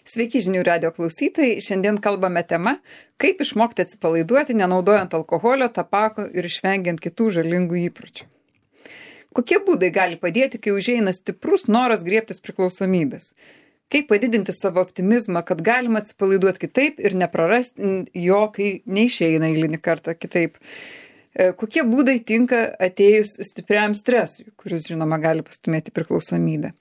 Sveiki žinių radio klausytojai, šiandien kalbame tema, kaip išmokti atsipalaiduoti, nenaudojant alkoholio, tabako ir išvengiant kitų žalingų įpročių. Kokie būdai gali padėti, kai užeina stiprus noras griebtis priklausomybės? Kaip padidinti savo optimizmą, kad galima atsipalaiduoti kitaip ir neprarasti jo, kai neišeina eilinį kartą kitaip? Kokie būdai tinka atėjus stipriam stresui, kuris, žinoma, gali pastumėti priklausomybę?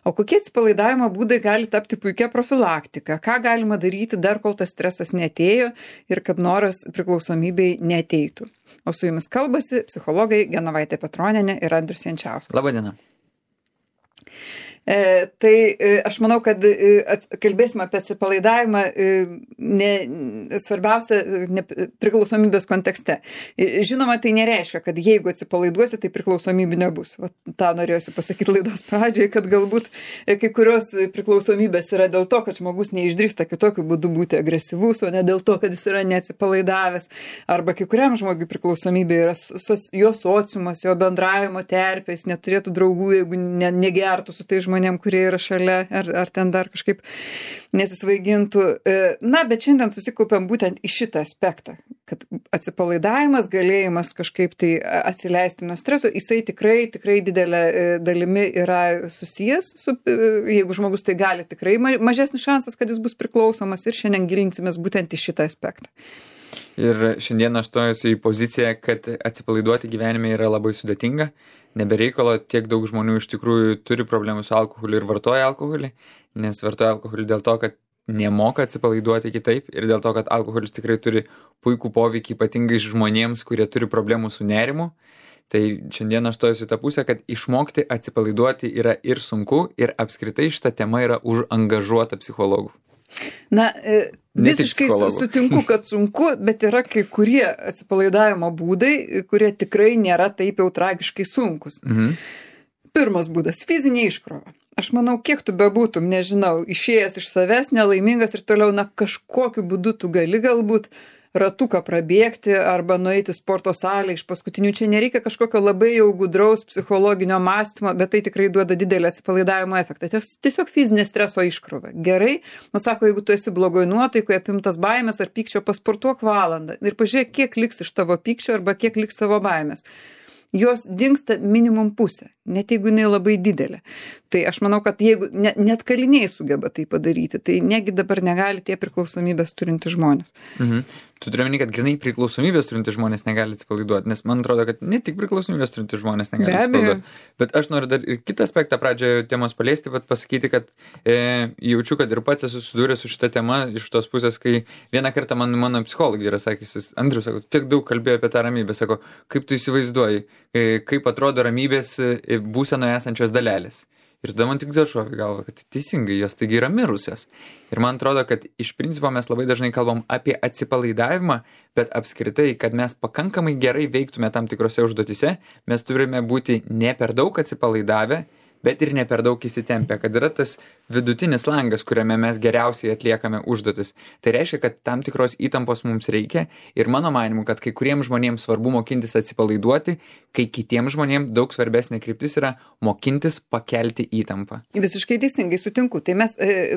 O kokie atsipalaidavimo būdai gali tapti puikia profilaktika? Ką galima daryti dar, kol tas stresas neatėjo ir kad noras priklausomybei neateitų? O su jumis kalbasi psichologai Genovaitė Petronienė ir Andrius Jančiauskas. Labadiena. Aš manau, kad kalbėsime apie atsipalaidavimą svarbiausia priklausomybės kontekste. Žinoma, tai nereiškia, kad jeigu atsipalaiduosi, tai priklausomybių nebus. Ta norėjusi pasakyti laidos pradžioje, kad galbūt kai kurios priklausomybės yra dėl to, kad žmogus neišdrįsta kitokiu būdu būti agresyvus, o ne dėl to, kad jis yra neatsipalaidavęs. Arba kai kuriam žmogui priklausomybė yra jo sociumas, jo bendravimo terpė, jis neturėtų draugų, jeigu negertų su tai žmonėm, kurie yra šalia, ar ten dar kažkaip nesisvaigintų. Bet šiandien susikaupiam būtent į šitą aspektą, kad atsipalaidavimas, galėjimas kažkaip tai atsileisti nuo streso, jisai tikrai didelė dalimi yra susijęs su, jeigu žmogus tai gali, tikrai mažesnis šansas, kad jis bus priklausomas, ir šiandien gilinsimės būtent į šitą aspektą. Ir šiandien aš stojusiu į poziciją, kad atsipalaiduoti gyvenime yra labai sudėtinga. Nebereikalo tiek daug žmonių iš tikrųjų turi problemų su alkoholiu ir vartoja alkoholį, nes vartoja alkoholį dėl to, kad nemoka atsipalaiduoti kitaip ir dėl to, kad alkoholis tikrai turi puikų poveikį ypatingai žmonėms, kurie turi problemų su nerimu. Tai šiandien aš stojusiu tą pusę, kad išmokti atsipalaiduoti yra ir sunku, ir apskritai šita tema yra užangažuota psichologų. Visiškai sutinku, kad sunku, bet yra kai kurie atsipalaidavimo būdai, kurie tikrai nėra taip jau tragiškai sunkus. Pirmas būdas - fizinė iškrova. Aš manau, kiek tu bebūtum, nežinau, išėjęs iš savęs, nelaimingas ir toliau, kažkokiu būdu tu gali galbūt ratuką prabėgti arba nueiti sporto salę iš paskutinių. Čia nereikia kažkokio labai jau gudraus psichologinio mąstymo, bet tai tikrai duoda didelį atsipalaidavimo efektą. Tiesiog fizinė streso iškrova. Gerai, sako, jeigu tu esi blogoj nuotaikoje, apimtas baimės ar pykčio, pasportuok valandą ir pažiūrėk, kiek liks iš tavo pykčio arba kiek liks savo baimės. Jos dingsta minimum pusę, net jeigu jinai labai didelė. Tai aš manau, kad jeigu net kaliniai sugeba tai padaryti, tai negi dabar negali tie priklausomybės turinti žmonės. Tu turi omeny, kad grinai priklausomybės turinti žmonės negali atsipalaiduoti, nes man atrodo, kad ne tik priklausomybės turinti žmonės negali atsipalaiduoti. Bet aš noriu dar ir kitą aspektą pradžioje temos paliesti, bet pasakyti, kad jaučiu, kad ir pats esu susidūręs su šita tema iš tos pusės, kai vieną kartą mano psichologė yra sakysis, Andrius, sako, tiek daug kalbėjo apie tą ramybę, sako, kaip tu įsivaizduoji, kaip atrodo ramybės būsenoje esančios dalelės. Ir tada man tik dėl šovė galva, kad teisingai, jos taigi yra mirusios. Ir man atrodo, kad iš principo mes labai dažnai kalbam apie atsipalaidavimą, bet apskritai, kad mes pakankamai gerai veiktume tam tikrose užduotise, mes turime būti ne per daug atsipalaidavę, bet ir ne per daug įsitempę, kad yra tas vidutinis langas, kuriame mes geriausiai atliekame užduotis. Tai reiškia, kad tam tikros įtampos mums reikia ir mano manimu, kad kai kuriems žmonėms svarbu mokintis atsipalaiduoti, kai kitiems žmonėms daug svarbesnė kryptis yra mokintis pakelti įtampą. Visiškai teisingai sutinku. Tai mes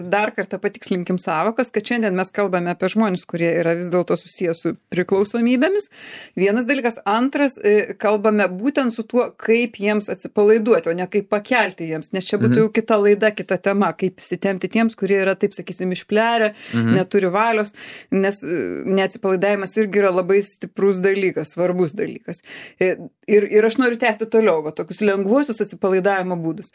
dar kartą patikslinkim sąvokas, kad šiandien mes kalbame apie žmonės, kurie yra vis dėlto susijęs su priklausomybėmis. Vienas dalykas. Antras, kalbame būtent su tuo, kaip jiems atsipalaiduoti, o ne kaip pakelti jiems, nes čia būtų jau kita laida, kita tema, kaip įsitempti tiems, kurie yra, taip sakysim, išplerę, neturi valios, nes neatsipalaidavimas irgi yra labai stiprus dalykas, svarbus dalykas. Ir aš noriu tęsti toliau, tokius lengvuosius atsipalaidavimo būdus.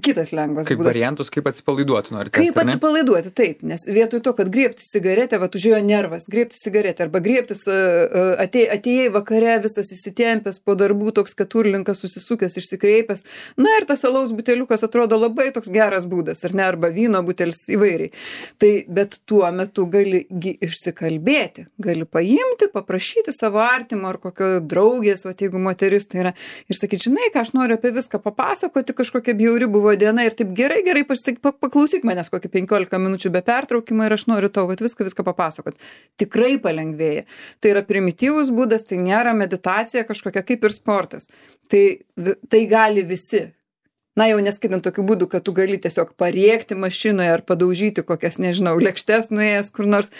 Kitas lengvas kaip būdas. Kaip variantus, kaip atsipalaiduoti nori tęsti, kaip atsipalaiduoti, taip, nes vietoj to, kad griebtis cigaretę, užėjo nervas, griebtis cigaretę, arba griebtis atėjai vakare, visas įsitempęs po darbų, toks keturlinkas susisukęs, išsikreipęs, ir tas alaus buteliukas atrodo labai toks geras būdas, ar ne, arba vyno butelis įvairiai. Tai, bet tuo metu gali išsikalbėti, gali paimti, paprašyti savo artimo ar kokio draugės, jeigu moteris tai yra, ir sakyti, žinai, ką aš noriu apie viską papasakoti, kažkokia bjauri buvo diena ir taip gerai, paklausyk manęs kokį 15 minučių be pertraukimo ir aš noriu tau viską papasakoti. Tikrai palengvėja. Tai yra primityvus būdas, tai nėra meditacija kažkokia kaip ir sportas. Tai gali visi. Na, jau neskaitant tokių būdų, kad tu gali tiesiog parėkti mašinoje ar padaužyti kokias, nežinau, lėkštes nuėjęs kur nors,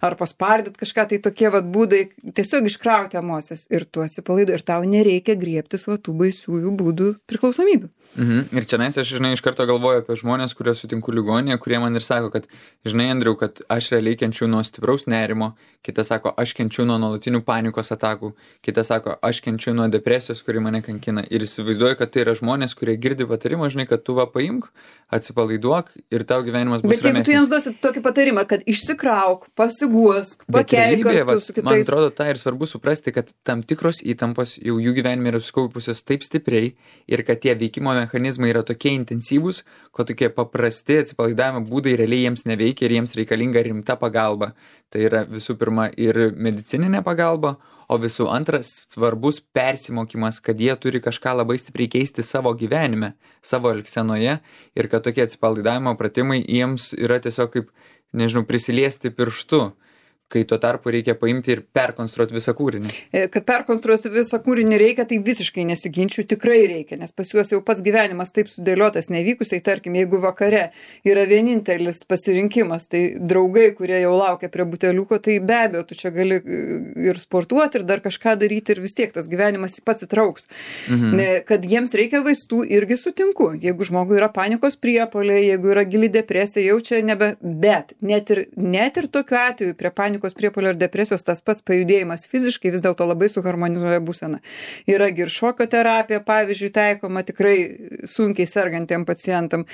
ar paspardyt kažką, tai tokie vat būdai tiesiog iškrauti emocijas ir tu atsipalaiduoji ir tau nereikia griebtis va tų baisiųjų būdų priklausomybių. Ir čia aš, žinai, iš karto galvoju apie žmonės, kurie sutinku ligoninėje, kurie man ir sako, kad, žinai, Andriau, kad aš realiai kenčiu nuo stipraus nerimo, kitas sako, aš kenčiu nuo nuolatinių panikos atakų, kitas sako, aš kenčiu nuo depresijos, kuri mane kankina. Ir įsivaizduoju, kad tai yra žmonės, kurie girdi patarimą, žinai, kad tu va paimk, atsipalaiduok ir tau gyvenimas bus ramesnis. Bet jeigu tu jiems duosi tokį patarimą, kad išsikrauk, pasiguosk, pakeik kartu su kitais. Man atrodo, tai ir svarbu suprasti, kad tam tikros įtampos jau jų gyvenime yra susikaupusios taip stipriai ir kad tie veikimo mechanizmai yra tokie intensyvūs, kad tokie paprasti atsipalaidavimo būdai realiai jiems neveikia ir jiems reikalinga rimta pagalba. Tai yra visų pirma ir medicininė pagalba, o visų antras svarbus persimokymas, kad jie turi kažką labai stipriai keisti savo gyvenime, savo elgsenoje ir kad tokie atsipalaidavimo pratimai jiems yra tiesiog kaip, nežinau, prisiliesti pirštu, kai tuo tarpu reikia paimti ir perkonstruoti visą kūrinį. Kad perkonstruoti visą kūrinį reikia, tai visiškai nesiginčiu, tikrai reikia, nes pas juos jau pats gyvenimas taip sudėliotas nevykusiai, tarkim, jeigu vakare yra vienintelis pasirinkimas, tai draugai, kurie jau laukia prie buteliuko, tai be abejo, tu čia gali ir sportuoti, ir dar kažką daryti, ir vis tiek tas gyvenimas pats įtrauks. Kad jiems reikia vaistų, irgi sutinku. Jeigu žmogui yra panikos priepuoliai, jeigu yra gili depresija, jau čia bet net ir tokiu atveju prie panikos priepuolio ir depresijos tas pats pajudėjimas fiziškai vis dėlto labai suharmonizuoja būseną. Yra ir šokio terapija, pavyzdžiui, taikoma tikrai sunkiai sergantiem pacientam.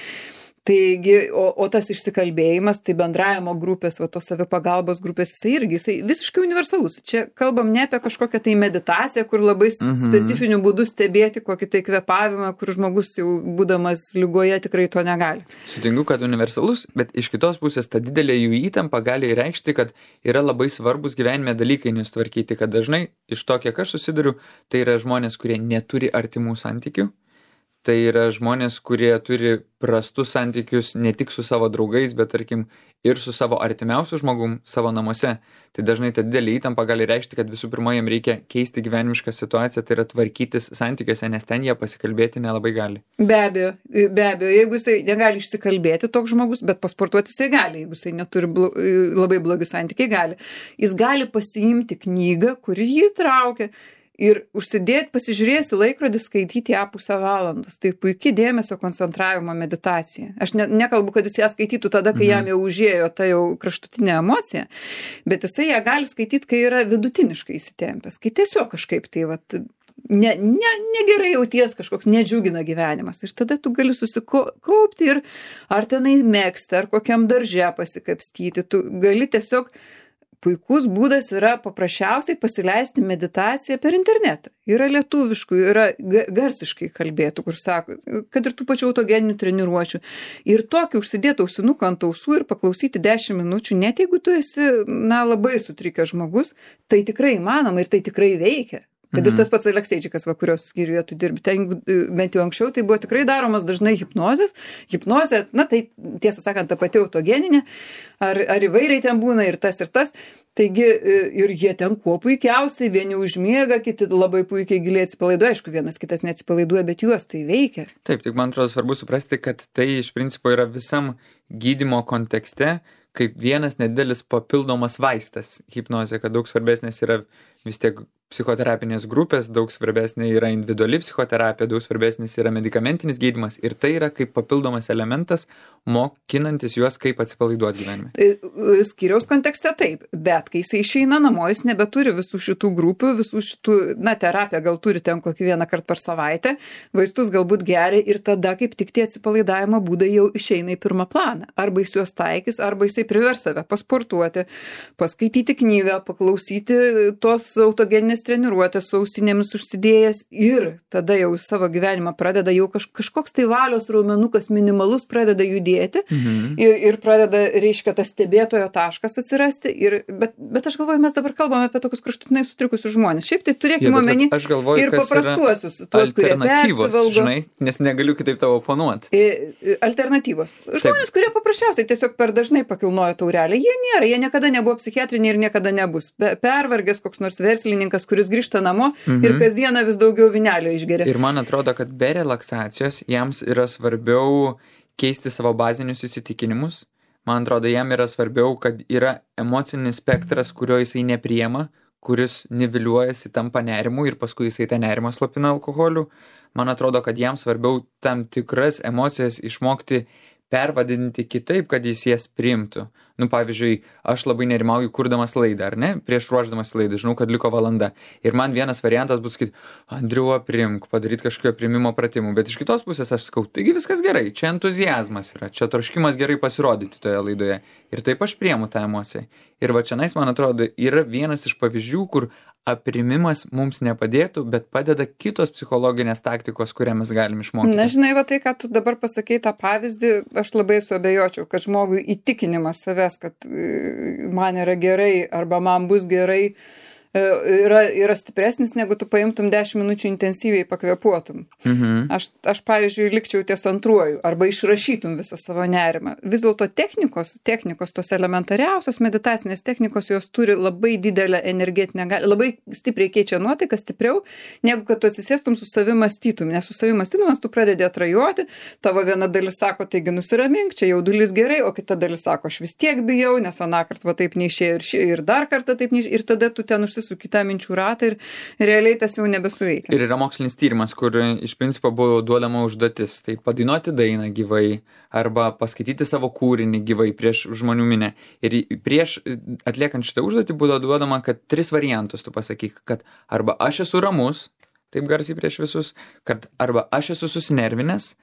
Taigi, o tas išsikalbėjimas, tai bendravimo grupės, va tos savipagalbos grupės, jisai visiškai universalus. Čia kalbam ne apie kažkokią tai meditaciją, kur labai specifiniu būdu stebėti kokį tai kvėpavimą, kur žmogus jau būdamas ligoje tikrai to negali. Sutinku, kad universalus, bet iš kitos pusės ta didelė jų įtampa gali reikšti, kad yra labai svarbus gyvenime dalykai nesutvarkyti, kad dažnai iš to, kiek aš susiduriu, tai yra žmonės, kurie neturi artimų santykių. Tai yra žmonės, kurie turi prastus santykius ne tik su savo draugais, bet tarkim ir su savo artimiausiu žmogum savo namuose. Tai dažnai ta didelė įtampa gali reikšti, kad visų pirma jiems reikia keisti gyvenimišką situaciją, tai yra tvarkytis santykiuose, nes ten jie pasikalbėti nelabai gali. Be abejo, jeigu jisai negali išsikalbėti toks žmogus, bet pasportuoti jisai gali, jeigu jisai neturi labai blogi santykiai, gali. Jis gali pasiimti knygą, kuri jį traukia. Ir užsidėti, pasižiūrėsi laikrodį, skaityti ją pusę valandos. Tai puikiai dėmesio koncentravimo meditacija. Aš nekalbu, kad jis ją skaitytų tada, kai jam jau užėjo ta jau kraštutinė emocija, bet jisai ją gali skaityti, kai yra vidutiniškai įsitempęs, kai tiesiog kažkaip tai negerai jauties, kažkoks nedžiugina gyvenimas. Ir tada tu gali susikaupti ir ar tenai mėgsti, ar kokiam darže pasikapstyti. Tu gali tiesiog puikus būdas yra paprasčiausiai pasileisti meditaciją per internetą. Yra lietuviškų, yra garsiškai kalbėtų, kur sako, kad ir tų pačių autogeninių treniruočių. Ir tokį užsidėti ausinuką ant ausų ir paklausyti 10 minučių, net jeigu tu esi labai sutrikęs žmogus, tai tikrai įmanoma ir tai tikrai veikia. Kad ir tas pats Alekseičikas, kurios skyriuje tu dirbi, ten bent jau anksčiau, tai buvo tikrai daromas dažnai hipnozės. Hipnozė, tai tiesą sakant, ta pati autogeninė, ar įvairiai ten būna ir tas. Taigi ir jie ten kuo puikiausiai, vieni užmiega, kiti labai puikiai giliai atsipalaiduoja, aišku, vienas kitas neatsipalaiduoja, bet juos tai veikia. Taip, tik man atrodo svarbu suprasti, kad tai iš principo yra visam gydymo kontekste, kaip vienas nedidelis papildomas vaistas hipnozė, kad daug svarbesnės yra vis tiek psichoterapinės grupės, daug svarbesnė yra individuali psichoterapija, daug svarbesnis yra medikamentinis gydymas ir tai yra kaip papildomas elementas, mokinantis juos kaip atsipalaiduoti gyvenime. Skyriaus kontekste taip, bet kai jisai išeina namo, jis nebeturi visų šitų grupių, visų šitų, terapiją gal turi ten kokį vieną kartą per savaitę, vaistus galbūt geria ir tada kaip tik tie atsipalaidavimo būdai jau išeina į pirmą planą. Arba jis juos taikys, arba jisai privers save pasportuoti, paskaityti knygą, paklausyti tos autogeninės treniruotės su ausinėmis užsidėjęs ir tada jau savo gyvenimą pradeda jau kažkoks tai valios raumenukas minimalus pradeda judėti ir pradeda, reiškia, tas stebėtojo taškas atsirasti. Bet aš galvoju, mes dabar kalbame apie tokius kraštutinai sutrikusius žmonės. Šiaip tai turėkime omeny ir paprastuosius, tuos, kurie persivalgo. Žinai, nes negaliu kitaip tavo oponuoti. Alternatyvos. Žmonės, kurie paprasčiausiai tiesiog per dažnai pakilnoja taurelę, jie niekada nebuvo psichiatriniai ir niekada nebus. Pervargęs koks nors verslininkas, relaksacijos, kuris grįžta namo ir kasdieną vis daugiau vynelio išgeria. Ir man atrodo, kad be relaksacijos jiems yra svarbiau keisti savo bazinius įsitikinimus. Man atrodo, jam yra svarbiau, kad yra emocinis spektras, kurio jisai nepriema, kuris niviliuojasi, tampa nerimu ir paskui jisai tą nerimą slopina alkoholiu. Man atrodo, kad jam svarbiau tam tikras emocijas išmokti pervadinti kitaip, kad jis jas priimtų. Nu, pavyzdžiui, aš labai nerimauju kurdamas laidą, ar ne? Prieš ruoždamas laidą, žinau, kad liko valanda. Ir man vienas variantas bus sakyti, Andriu, aprimk, padaryti kažkokio primimo pratimų. Bet iš kitos pusės aš sakau, taigi viskas gerai, čia entuziazmas yra, čia troškimas gerai pasirodyti toje laidoje. Ir taip aš priimu tą emociją. Ir va čianais, man atrodo, yra vienas iš pavyzdžių, kur aprimimas mums nepadėtų, bet padeda kitos psichologinės taktikos, kurią mes galim išmokti. Na, žinai, va tai, ką tu dabar pasakei tą pavyzdį, aš labai suabejočiau, kad žmogui įtikinimas savęs, kad man yra gerai arba man bus gerai, yra stipresnis, negu tu paimtum 10 minučių intensyviai pakvėpuotum. Aš pavyzdžiui, likčiau ties antruoju, arba išrašytum visą savo nerimą. Vis dėlto technikos, tos elementariausios meditacinės technikos, jos turi labai didelę energetinę galią, labai stipriai keičia nuotaiką, stipriau, negu kad tu atsisėstum su savim mąstytum. Nes su savim mąstydamas tu pradedi atrajoti, tavo viena dalis sako, taigi nusiramink, čia jaudulys gerai, o kita dalis sako, aš vis tiek bijau, nes anąkart va taip neišėjo ir dar kartą taip neišėjo, ir tada tu ten su kitą minčių ratą ir realiai tas jau nebesuveikia. Ir yra mokslinis tyrimas, kur iš principo buvo duodama užduotis. Tai padainuoti dainą gyvai arba paskaityti savo kūrinį gyvai prieš žmonių minę. Ir prieš atliekant šitą užduotį buvo duodama, kad 3 variantus tu pasakyk, kad arba aš esu ramus, taip garsiai prieš visus, kad arba aš esu susinervinęs,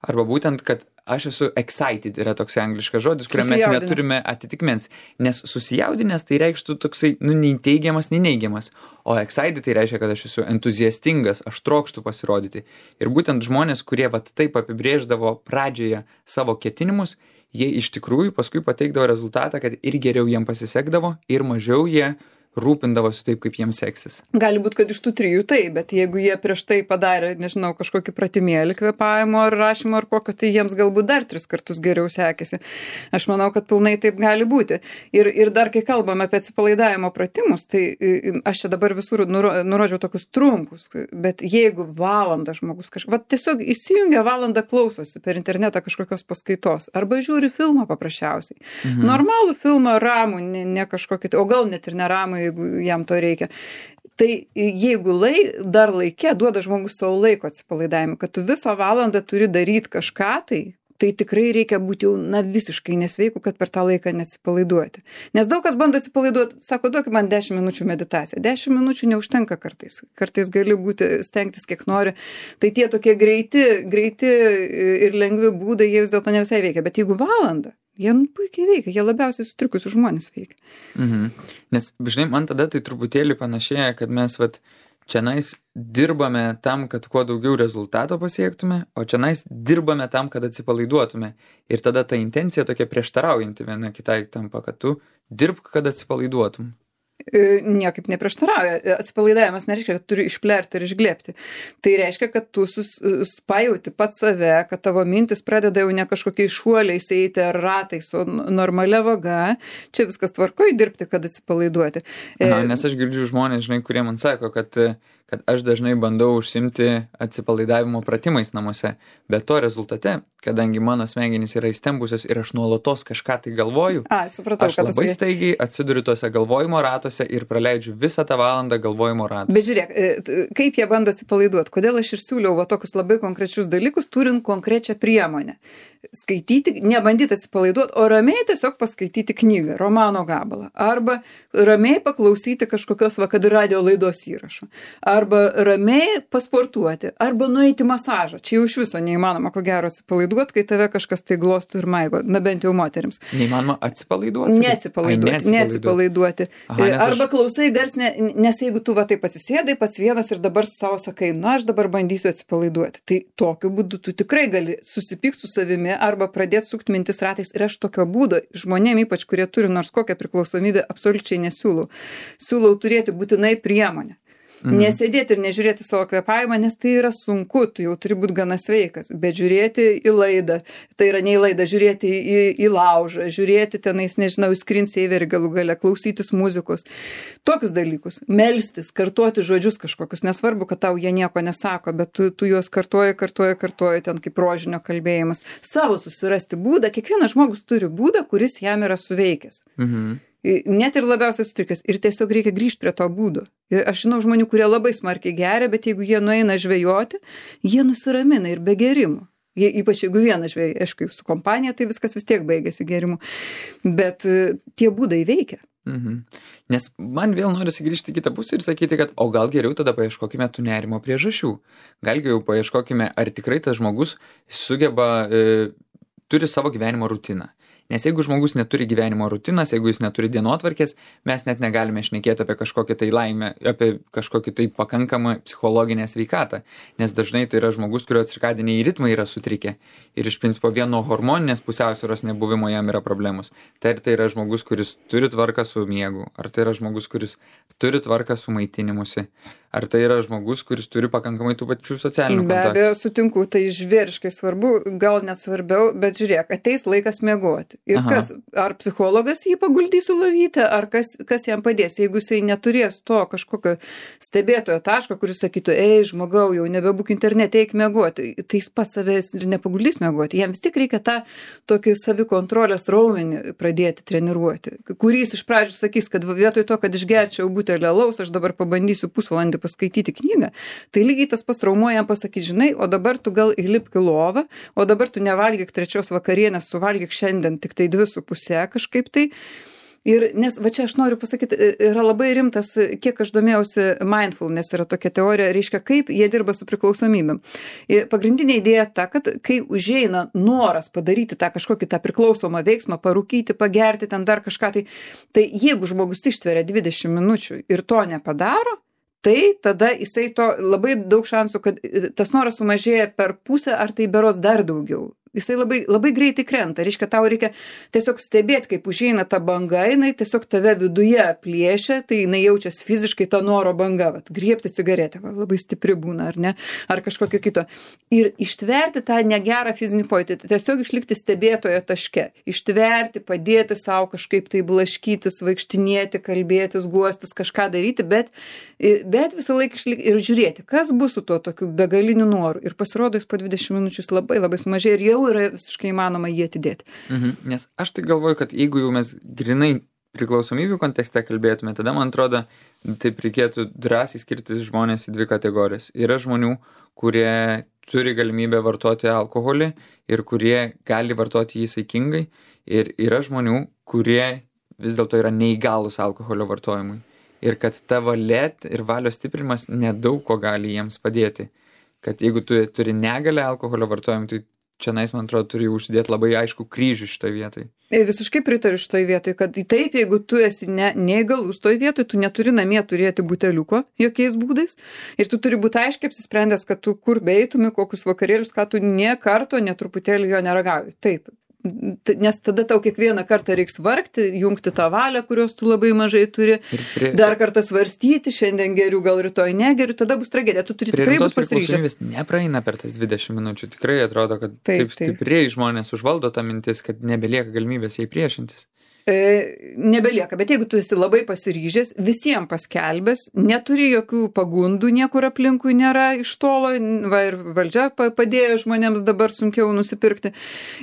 arba būtent, kad aš esu excited, yra toks angliškas žodis, kuriam mes neturime atitikmens. Nes susijaudinęs tai reikštų toksai, nei teigiamas, nei neigiamas. O excited tai reiškia, kad aš esu entuziastingas, aš trokštu pasirodyti. Ir būtent žmonės, kurie taip apibrėždavo pradžioje savo ketinimus, jie iš tikrųjų paskui pateikdavo rezultatą, kad ir geriau jiem pasisekdavo, ir mažiau jie rūpindavosi taip, kaip jiems seksis. Gali būti, kad iš tų 3 tai, bet jeigu jie prieš tai padarė, nežinau, kažkokį pratimėlį kvėpavimo ar rašymo ar kokio, tai jiems galbūt dar 3 kartus geriau sekėsi. Aš manau, kad pilnai taip gali būti. Ir dar, kai kalbame apie atsipalaidavimo pratimus, tai aš čia dabar visur nurodžiau tokius trumpus, bet jeigu valandą žmogus tiesiog įsijungia valandą klausosi per internetą kažkokios paskaitos, arba žiūri filmą paprasčiausiai. Normalų filmą ramų, ne kažkokį, o gal net ir neramų, jeigu jam to reikia. Tai jeigu dar laikė duoda žmogus savo laiko atsipalaidavimui, kad tu visą valandą turi daryti kažką, tai tikrai reikia būti jau visiškai nesveiku, kad per tą laiką neatsipalaiduoti. Nes daug kas bando atsipalaiduoti, sako, duok man 10 minučių meditaciją. 10 minučių neužtenka kartais. Kartais gali stengtis kiek nori. Tai tie tokie greiti ir lengvi būdai, jie vis dėlto ne visai veikia. Bet jeigu valandą, jie puikiai veikia, jie labiausiai sutrikusių žmonės veikia. Nes, žinai, man tada tai truputėlį panašėja, kad mes čianais dirbame tam, kad kuo daugiau rezultato pasiektume, o čianais dirbame tam, kad atsipalaiduotume. Ir tada ta intencija tokia prieštaraujanti viena kitai tampa, kad tu dirbk, kad atsipalaiduotum. Niekaip neprieštarauja. Atsipalaidavimas nereiškia, kad turi išplerti ir išglėbti. Tai reiškia, kad tu pajauti pats save, kad tavo mintis pradeda jau ne kažkokiais šuoliais eiti ar ratais, o normalia vaga. Čia viskas tvarkoj dirbti, kad atsipalaiduoti. Nes aš girdžiu žmonės, žinai, kurie man sako, kad aš dažnai bandau užsimti atsipalaidavimo pratimais namuose, bet to rezultate, kadangi mano smegenys yra įstembusios ir aš nuolatos kažką tai galvoju, supratau, aš labai staigiai atsiduriu tose galvojimo ratuose ir praleidžiu visą tą valandą galvojimo ratuose. Bet žiūrėk, kaip jie bando atsipalaiduoti, kodėl aš ir siūliau tokius labai konkrečius dalykus, turint konkrečią priemonę. Skaityti, nebandyti atsipalaiduoti, o ramiai tiesiog paskaityti knygą, romano gabalą, arba ramiai paklausyti kažkokios kad radio laidos įrašo, arba ramiai pasportuoti, arba nueiti masažą. Čia jau iš viso neįmanoma, ko gero, atsipalaiduoti, kai tave kažkas tai glostų ir maigo, bent jau moterims. Neįmanoma atsipalaiduoti? Neatsipalaiduoti. Arba klausai garsinę, nes jeigu tu taip atsisėdai pats vienas ir dabar savo sakai, aš dabar bandysiu atsipalaiduoti. Tai tokiu būdu tu tikrai gali susipykti su savimi arba pradėti sukti mintis ratais. Ir aš tokio būdo žmonėm, ypač kurie turi nors kokią priklausomybę, absoliučiai nesiūlau. Siūlau turėti būtinai priemonę. Nesėdėti ir nežiūrėti savo kvėpavimą, nes tai yra sunku, tu jau turi būti gana sveikas, bet žiūrėti į laidą, tai yra ne į laidą, žiūrėti į laužą, žiūrėti tenais, nežinau, į screensaverį galų gale, klausytis muzikos, tokius dalykus, melstis, kartuoti žodžius kažkokius, nesvarbu, kad tau jie nieko nesako, bet tu juos kartuoji, ten kaip rožinio kalbėjimas, savo susirasti būdą, kiekvienas žmogus turi būdą, kuris jam yra suveikęs. Net ir labiausiai sutrikęs. Ir tiesiog reikia grįžti prie to būdo. Ir aš žinau žmonių, kurie labai smarkiai geria, bet jeigu jie nueina žvejoti, jie nusiramina ir be gerimų. Ypač jeigu vienas žvejai, aišku, su kompanija, tai viskas vis tiek baigėsi gerimu. Bet tie būdai veikia. Nes man vėl norisi grįžti į kitą pusę ir sakyti, kad o gal geriau tada paieškokime tų nerimo priežasčių. Gal geriau paieškokime, ar tikrai tas žmogus sugeba, turi savo gyvenimo rutiną. Nes jeigu žmogus neturi gyvenimo rutinas, jeigu jis neturi dienotvarkės, mes net negalime šnekėti apie kažkokią tai laimę, apie kažkokį tai pakankamą psichologinę sveikatą. Nes dažnai tai yra žmogus, kurio cirkadiniai ritmai yra sutrikę. Ir iš principo vien nuo hormoninės pusiausvyros nebuvimo jam yra problemos. Tai yra žmogus, kuris turi tvarką su miegu. Ar tai yra žmogus, kuris turi tvarką su maitinimusi. Ar tai yra žmogus, kuris turi pakankamai tų pačių socialinių kontaktų. Be abejo, sutinku, tai žvėriškai svarbu, gal net svarbiau, bet žiūrėk, ateis laikas miegoti. Ir kas, ar psichologas jį paguldys į lovytę, ar kas jam padės, jeigu jisai neturės to kažkokio stebėtojo taško, kuris sakytų, žmogau, jau nebebūk internete, eik miegoti, tai jis pats savęs ir nepaguldys miegoti. Jam vis tik reikia tą tokį savikontrolės raumenį pradėti treniruoti, kurį jis iš pradžių sakys, kad vietoj to, kad išgerčiau butelį alaus, aš dabar pabandysiu pusvalandį paskaityti knygą, tai lygiai tas pats traumuojam pasakyti, žinai, o dabar tu gal įlipk į lovą, o dabar tu nevalgyk 3 vakarienės, suvalgyk šiandien tik tai 2,5 kažkaip tai. Ir nes, va čia aš noriu pasakyti, yra labai rimtas, kiek aš domėjausi, mindfulness yra tokia teorija, reiškia, kaip jie dirba su priklausomybėm. Pagrindinė idėja ta, kad kai užeina noras padaryti tą kažkokį tą priklausomą veiksmą, parūkyti, pagerti, ten dar kažką, tai jeigu žmogus ištveria 20 minučių ir to nepadaro, tai tada jisai to labai daug šansų, kad tas noras sumažėja per pusę, ar tai berods dar daugiau. Jisai labai, labai greitai krenta. Reiškia, tau reikia tiesiog stebėti, kaip užeina ta banga, jinai tiesiog tave viduje plėšia, tai jinai jaučiasi fiziškai ta noro banga, griebti cigaretę, labai stipri būna, ar ne, ar kažkokio kito. Ir ištverti tą negerą fizinį pojūtį, tiesiog išlikti stebėtojo taške, ištverti, padėti savo kažkaip tai blaškytis, vaikštinėti, kalbėtis, guostis, kažką daryti, bet visą laiką išlikti ir žiūrėti, kas bus su tuo tokiu begaliniu noru. Ir pasirodo, jis po 20 minučių labai, labai sumažėja ir jau yra visiškai įmanoma jį atidėti. Nes aš tai galvoju, kad jeigu jau mes grinai priklausomybių kontekste kalbėtume, tada man atrodo, taip reikėtų drąsiai skirtis žmonės į 2 kategorijas. Yra žmonių, kurie turi galimybę vartoti alkoholį ir kurie gali vartoti jį saikingai. Ir yra žmonių, kurie vis dėlto yra neįgalus alkoholio vartojimui. Ir kad ta valia ir valios stiprinimas nedaug ko gali jiems padėti. Kad jeigu tu turi negalę alkoholio vartojimui, tai čianais, man atrodo, turi užsidėti labai aišku kryžių šitoj vietoj. Visiškai pritariu šitoj vietoj, kad taip, jeigu tu esi neįgalus toj vietoj, tu neturi namie turėti buteliuko jokiais būdais ir tu turi būti aiškiai apsisprendęs, kad tu kur beitumi, kokius vakarėlius, kad tu nė karto, netruputėlį jo neragauji. Taip. Nes tada tau kiekvieną kartą reiks vargti, jungti tą valią, kurios tu labai mažai turi, dar kartą svarstyti, šiandien geriu, gal rytoj negeriu, tada bus tragedija, tu turi tikrai būti pasiryžęs. Nepraeina per tas 20 minučių, tikrai atrodo, kad taip stipriai žmonės užvaldo tą mintis, kad nebelieka galimybės jai priešintis. Nebelieka, bet jeigu tu esi labai pasiryžęs, visiems paskelbęs, neturi jokių pagundų, niekur aplinkui nėra iš tolo, ir valdžia padėjo žmonėms dabar sunkiau nusipirkti.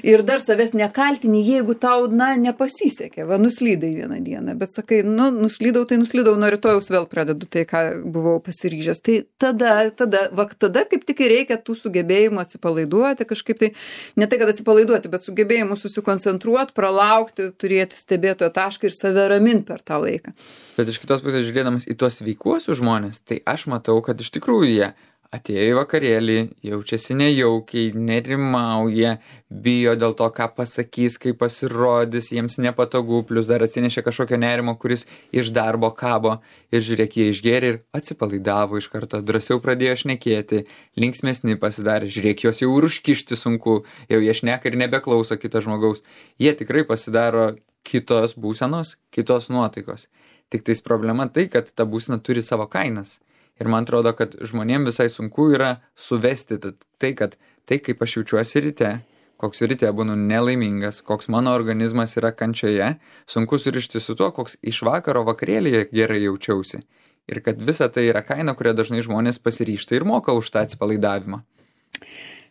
Ir dar savęs nekaltini, jeigu tau, nepasisekė, nuslydai vieną dieną, bet sakai, nuslydau, nuo rytojaus vėl pradedu tai, ką buvau pasiryžęs. Tai tada kaip tik reikia tų sugebėjimų atsipalaiduoti, kažkaip tai, ne tai, kad atsipalaiduoti, bet sugebėjimų susikoncentruoti, pralaukti, turėti stebėtojo tašką ir save ramint per tą laiką. Bet iš kitos pusės žiūrėdamas į tuos sveikuosius žmonės, tai aš matau, kad iš tikrųjų jie atėjo į vakarėlį, jaučiasi nejaukiai, nerimauja, bijo dėl to, ką pasakys, kaip pasirodys, jiems nepatogu, plus dar atsinešė kažkokio nerimo, kuris iš darbo kabo ir žiūrėk, jie išgėrė ir atsipalaidavo iš karto, drąsiau pradėjo šnekėti, linksmesni pasidarė, žiūrėk, jos jau ir užkišti sunku, jau jie šneka ir nebeklauso kito žmogaus. Jie tikrai pasidaro kitos būsenos, kitos nuotaikos. Tik tais problema tai, kad ta būsena turi savo kainas. Ir man atrodo, kad žmonėms visai sunku yra suvesti tai, kad tai, kaip aš jaučiuosi ryte, koks ryte būnu nelaimingas, koks mano organizmas yra kančioje, sunku surišti su tuo, koks iš vakaro vakarėlėje gerai jaučiausi. Ir kad visa tai yra kaina, kurią dažnai žmonės pasiryžta ir moka už tą atsipalaidavimą.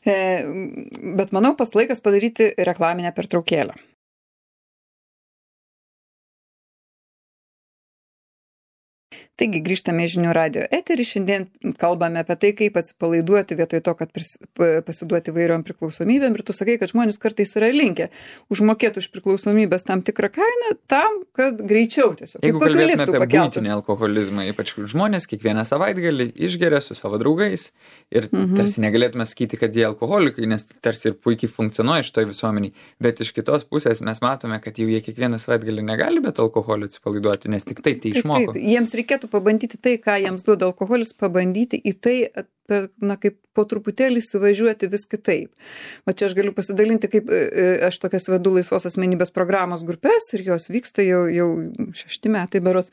Bet manau, pats laikas padaryti reklaminę pertraukėlę. Taigi grįžtame į Žinių radijo eterį. Šiandien kalbame apie tai, kaip atsipalaiduoti vietoj to, kad pasiduoti įvairiom priklausomybėm. Ir tu sakai, kad žmonės kartais yra linkę užmokėti už priklausomybės tam tikrą kainą, tam, kad greičiau tiesiog. Jeigu kalbėtume apie buitinį alkoholizmą, ypač žmonės kiekvieną savaitgalį išgeria su savo draugais ir tarsi negalėtume sakyti, kad jie alkoholikai, nes tarsi ir puikiai funkcionuoja šitoj visuomeniai. Bet iš kitos pusės mes matome, kad jau jie kiekvieną savaitgalį negali be alkoholio atsipalaiduoti, nes tik taip tai išmoko. Jiems reikėtų pabandyti tai, ką jiems duoda alkoholis, pabandyti į tai, kaip po truputėlį įsivažiuoti vis kitaip. O čia aš galiu pasidalinti, kaip aš tokias vedu laisvos asmenybės programos grupės ir jos vyksta jau 6 metai berods.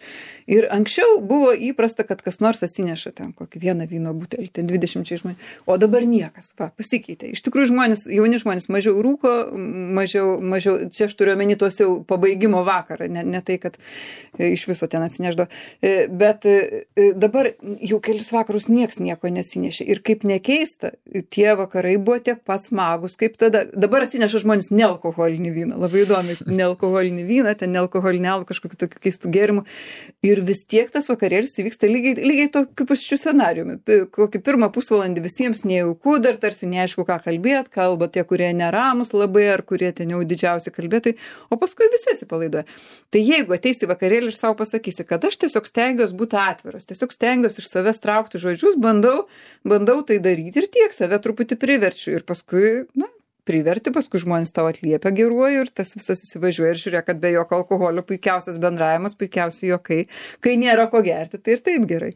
Ir anksčiau buvo įprasta, kad kas nors atsineša ten kokį vieną vyno butelį, ten 20 žmonių. O dabar niekas, pasikeitė. Iš tikrųjų jauni žmonės mažiau rūko, mažiau, čia aš turiu omeny tuos jau pabaigimo vakarą, ne tai, kad iš viso ten atsineždo. Bet dabar jau kelis vakarus nieks nieko neatsinešė. Ir kaip nekeista, tie vakarai buvo tiek pat smagus, kaip tada. Dabar atsineša žmonės nealkoholinį vyną. Labai įdomi, nealkoholinį vyną, ten nealkoholinį alų, kažkokiu tokiu keistų gėrimų. Ir vis tiek tas vakarėlis įvyksta lygiai tokiu pačiu scenariumi. Kokį pirmą pusvalandį visiems nejauku, dar tarsi neaišku, ką kalbėt, kalba tie, kurie neramus labai, ar kurie ten jau didžiausi kalbėtojai, o paskui visi atsipalaiduoja. Tai jeigu ateisi vakarėlį ir savo pasakysi, kad aš tiesiog stengiuosi būti atviras, tiesiog stengiuosi iš savęs traukti žodžius, bandau tai daryti ir tiek, save truputį priverčiu ir paskui, priverti, paskui žmonės tau atliepia geruoju ir tas visas įsivažiuoja ir žiūrėk, kad be jokio alkoholio puikiausias bendravimas, puikiausiai juokai, kai nėra ko gerti, tai ir taip gerai.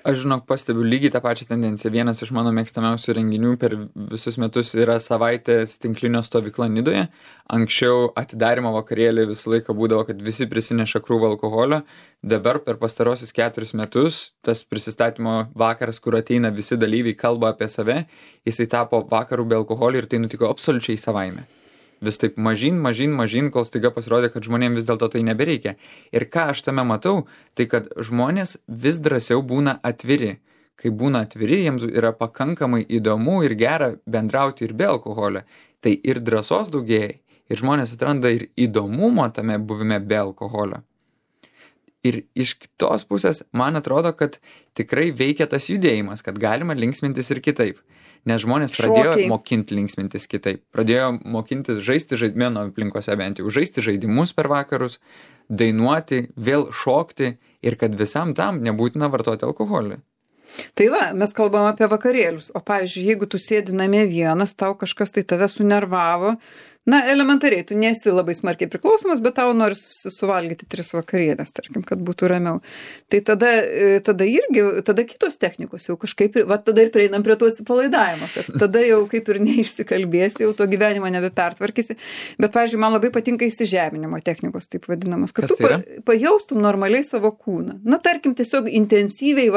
Aš pastebiu lygiai tą pačią tendenciją. Vienas iš mano mėgstamiausių renginių per visus metus yra savaitės tinklinio stovykla Nidoje. Anksčiau atidarymo vakarėlį visą laiką būdavo, kad visi prisineša krūvą alkoholio. Dabar per pastarosius 4 metus tas prisistatymo vakaras, kur ateina visi dalyviai, kalba apie save, jisai tapo vakarų be alkoholio ir tai nutiko absoliučiai savaime. Vis taip mažyn, kol staiga pasirodė, kad žmonėms vis dėlto tai nebereikia. Ir ką aš tame matau, tai kad žmonės vis drąsiau būna atviri. Kai būna atviri, jiems yra pakankamai įdomu ir gera bendrauti ir be alkoholio. Tai ir drąsos daugėja, ir žmonės atranda ir įdomumo tame buvime be alkoholio. Ir iš kitos pusės, man atrodo, kad tikrai veikia tas judėjimas, kad galima linksmintis ir kitaip. Nes žmonės pradėjo mokinti linksmintis kitaip. Pradėjo mokintis žaisti mano aplinkose bent jau, žaisti žaidimus per vakarus, dainuoti, vėl šokti ir kad visam tam nebūtina vartoti alkoholį. Tai mes kalbam apie vakarėlius. O pavyzdžiui, jeigu tu sėdi namie vienas, tau kažkas tai tave sunervavo, elementariai, tu nesi labai smarkiai priklausomas, bet tau nori suvalgyti 3 vakarienės, tarkim, kad būtų ramiau. Tai tada kitos technikos jau kažkaip, tada ir prieinam prie to atsipalaidavimo, kad tada jau kaip ir neišsikalbėsi, jau to gyvenimo nebepertvarkysi. Bet, pavyzdžiui, man labai patinka įsižeminimo technikos, taip vadinamas, kad tu pajaustum normaliai savo kūną. Tarkim, tiesiog intensyviai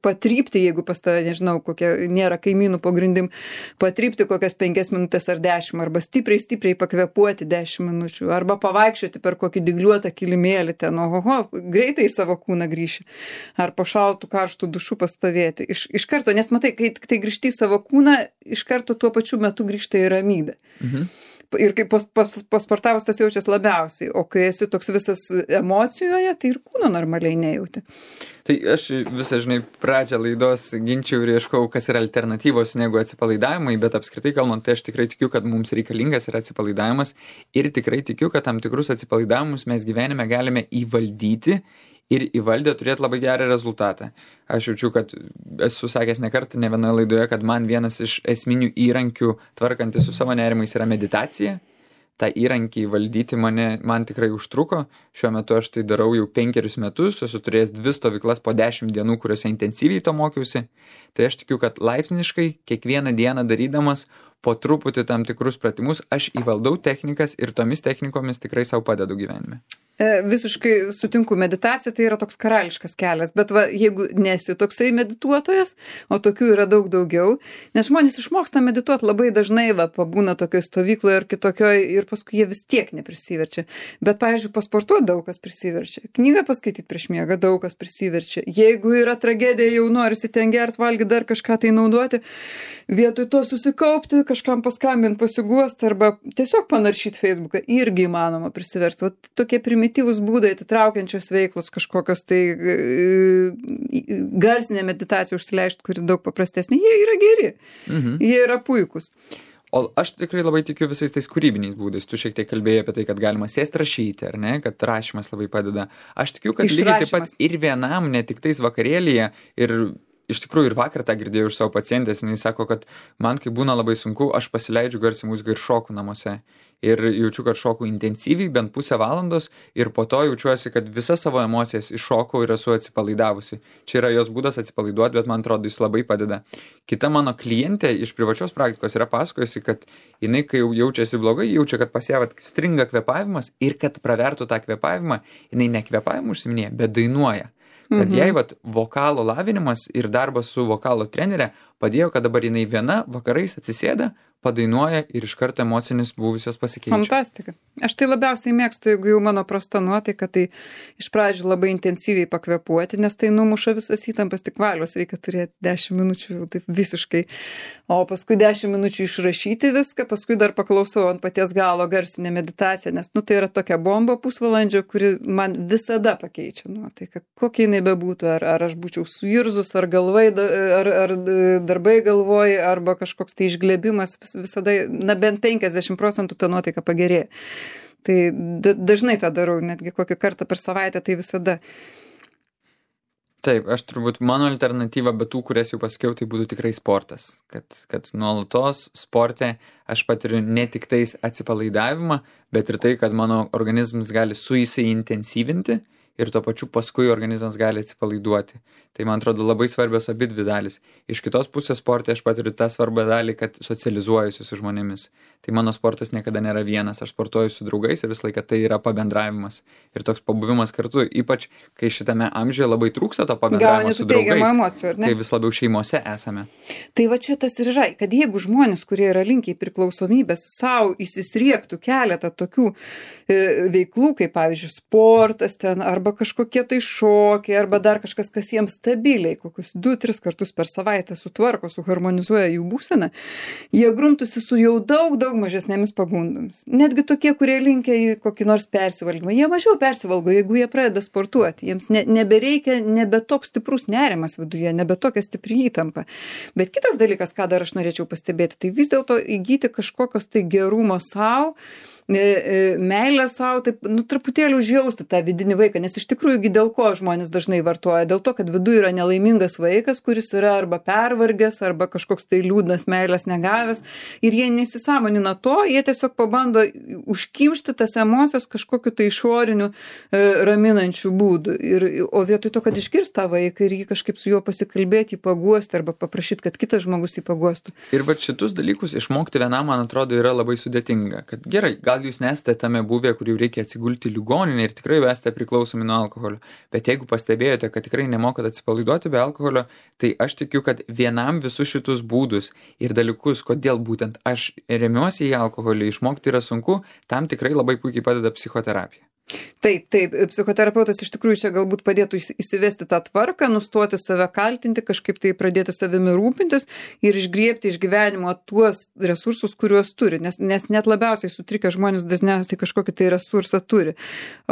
patrypti, jeigu pas tave, nežinau, kokie nėra kaimynų po grindim, patrypti kokias 5 minutės ar 10, arba stipriai pakvepuoti 10 minučių, arba pavaikščioti per kokį dygliuotą kilimėlį ten, greitai į savo kūną grįši, ar po šaltų karštų dušų pastovėti. Iš karto, nes matai, kai tai grįžti į savo kūną, iš karto tuo pačiu metu grįžta į ramybę. Ir kai pasportavus tas jaučias labiausiai, o kai esi toks visas emocijoje, tai ir kūno normaliai nejauti. Tai aš visą, pradžią laidos ginčiau ir ieškau, kas yra alternatyvos negu atsipalaidavimai, bet apskritai kalbant, tai aš tikrai tikiu, kad mums reikalingas yra atsipalaidavimas ir tikrai tikiu, kad tam tikrus atsipalaidavimus mes gyvenime galime įvaldyti ir įvaldę turėti labai gerą rezultatą. Aš jaučiu, kad esu sakęs ne kartą, ne vienoje laidoje, kad man vienas iš esminių įrankių tvarkantis su savo nerimais yra meditacija. tą įrankį valdyti man tikrai užtruko. Šiuo metu aš tai darau jau 5 metus, esu turėjęs 2 stovyklas po 10 dienų, kuriuose intensyviai to mokiausi. Tai aš tikiu, kad laipsniškai kiekvieną dieną darydamas po truputį tam tikrus pratimus, aš įvaldau technikas ir tomis technikomis tikrai savo padedu gyvenime. Visiškai sutinku, meditacija tai yra toks karališkas kelias, bet va, jeigu nesi toksai medituotojas, o tokių yra daug daugiau, nes žmonės išmoksta medituoti labai dažnai, va, pabūna tokioje stovykloje ar kitokioje ir paskui jie vis tiek neprisiverčia. Bet, pavyzdžiui, pasportuoti daug kas prisiverčia, knygą paskaityti prieš miegą daug kas prisiverčia. Jeigu yra tragedija, jau norisi ten gerti, valgyti, dar kažką tai naudoti, vietoj to susikaupti, kažkam paskambinti, pasiguosti arba tiesiog panaršyti Facebooką, irgi įmanoma prisiversti. Va, tokie primityvūs būdai, atitraukiančios veiklos, kažkokios tai garsinė meditacija užsileišti, kuri daug paprastesnė, jie yra geri, jie yra puikūs. O aš tikrai labai tikiu visais tais kūrybiniais būdais. Tu šiek tiek kalbėjai apie tai, kad galima sėsti rašyti, ar ne, kad rašymas labai padeda. Aš tikiu, kad lygiai taip pat ir vienam, ne tik tais vakarėlyje, ir iš tikrųjų ir vakar tą girdėjau iš savo pacientės, jinai sako, kad man, kai būna labai sunku, aš pasileidžiu garsiai muziką ir šoku namuose. Ir jaučiu, kad šoku intensyviai, bent pusę valandos, ir po to jaučiuosi, kad visas savo emocijas iššokau ir esu atsipalaidavusi. Čia yra jos būdas atsipalaiduoti, bet man atrodo, jis labai padeda. Kita mano klientė iš privačios praktikos yra pasakojusi, kad jinai, kai jau jaučiasi blogai, jaučia, kad pas ją stringa kvėpavimas ir kad pravertų tą kvėpavimą, jinai ne kvėpavimu užsiminėja, bet dainuoja. Kad jai vokalo lavinimas ir darbas su vokalo trenerė padėjo, kad dabar jinai viena vakarais atsisėda, padainuoja ir iš karto emocinis buvusios pasikeičia. Fantastika. Aš tai labiausiai mėgstu, jeigu jau mano prasta nuotaika, tai iš pradžių labai intensyviai pakvėpuoti, nes tai numuša visas įtampas, tik valios reikia turėti 10 minučių, taip visiškai. O paskui 10 minučių išrašyti viską, paskui dar paklausau ant paties galo garsinę meditaciją, nes tai yra tokia bomba pusvalandžio, kuri man visada pakeičia nuotaiką. Kokia jinai bebūtų, ar aš būčiau suirzus, ar galvai, ar darbai galvoj, arba kažkoks tai išglebimas, visada, bent 50% ta nuotaika pagerėja. Tai dažnai tą darau, netgi kokį kartą per savaitę, tai visada. Taip, aš turbūt mano alternatyva, bet tų, kurias jau pasakiau, tai būtų tikrai sportas. Kad nuolatos sporte aš patiriu ne tik tais atsipalaidavimą, bet ir tai, kad mano organizmas gali suintensyvinti ir tuo pačiu paskui organizmas gali atsipalaiduoti. Tai man atrodo labai svarbios abi dvi dalys. Iš kitos pusės sporte aš patiriu tą svarbą dalį, kad socializuojuosi su žmonėmis. Tai mano sportas niekada nėra vienas. Aš sportuoju su draugais ir visą laiką tai yra pabendravimas. Ir toks pabuvimas kartu, ypač kai šitame amžiuje labai trūksta to pabendravimo su draugais, emocijų, kai vis labiau šeimose esame. Tai va čia tas ir yra, kad jeigu žmonės, kurie yra linkę į priklausomybės, savo įsisriektų keletą tokių veiklų, kaip pavyzdžiui sportas ten, arba kažkokie tai šokiai, arba dar kažkas, kas jiems stabiliai, kokius 2-3 kartus per savaitę sutvarko, suharmonizuoja jų būseną, jie grumtųsi su jau daug mažesnėmis pagundomis. Netgi tokie, kurie linkia į kokį nors persivalgymą, jie mažiau persivalgo, jeigu jie pradeda sportuoti. Jiems nebereikia, nebe toks stiprus nerimas viduje, nebe tokia stipri įtampa. Bet kitas dalykas, ką dar aš norėčiau pastebėti, tai vis dėlto įgyti kažkokios tai gerumo savo, meilę savo, taip, truputėlį užjausti tą vidinį vaiką, nes iš tikrųjų dėl ko žmonės dažnai vartoja, dėl to, kad viduje yra nelaimingas vaikas, kuris yra arba pervargęs, arba kažkoks tai liūdnas meilės negavęs, ir jie nesisąmonina to, jie tiesiog pabando užkimšti tas emocijas kažkokiu tai išoriniu raminančių būdų, o vietoj to, kad išgirst tą vaiką ir jį kažkaip su juo pasikalbėti, jį paguosti, arba paprašyti, kad kitas žmogus jį paguostų. Ir va šitus dalykus išmokti vienam, man atrodo, yra labai sudėtinga, kad gerai, gal jūs nesate tame buvę, kur jau reikia atsigulti į ligoninę ir tikrai esate priklausomi nuo alkoholio. Bet jeigu pastebėjote, kad tikrai nemokat atsipalaiduoti be alkoholio, tai aš tikiu, kad vienam visus šitus būdus ir dalykus, kodėl būtent aš remiuosi į alkoholį, išmokti yra sunku, tam tikrai labai puikiai padeda psichoterapija. Taip, psichoterapeutas iš tikrųjų čia galbūt padėtų įsivesti tą tvarką, nustoti save kaltinti, kažkaip tai pradėti savimi rūpintis ir išgriebti iš gyvenimo tuos resursus, kuriuos turi, nes net labiausiai sutrikę žmonės dažniausiai kažkokį tai resursą turi.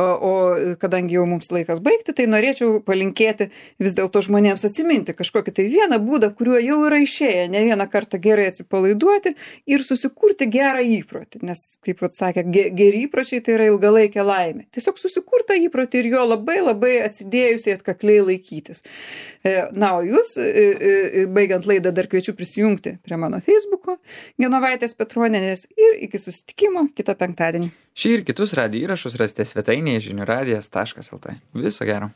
O kadangi jau mums laikas baigti, tai norėčiau palinkėti vis dėlto žmonėms atsiminti kažkokį tai vieną būdą, kuriuo jau yra išėję ne vieną kartą gerai atsipalaiduoti ir susikurti gerą įprotį, nes, kaip atsakė, geri įpročiai tai yra ilgalaikė laimė. Tiesiog susikurtą įprotį ir jo labai atsidėjusiai atkakliai laikytis. Na, o jūs, baigiant laidą, dar kviečiu prisijungti prie mano Facebooko, Genovaitės Petronienės, ir iki susitikimo kitą penktadienį. Šį ir kitus radijo įrašus rasite svetainėje žiniųradijas.lt. Viso gero.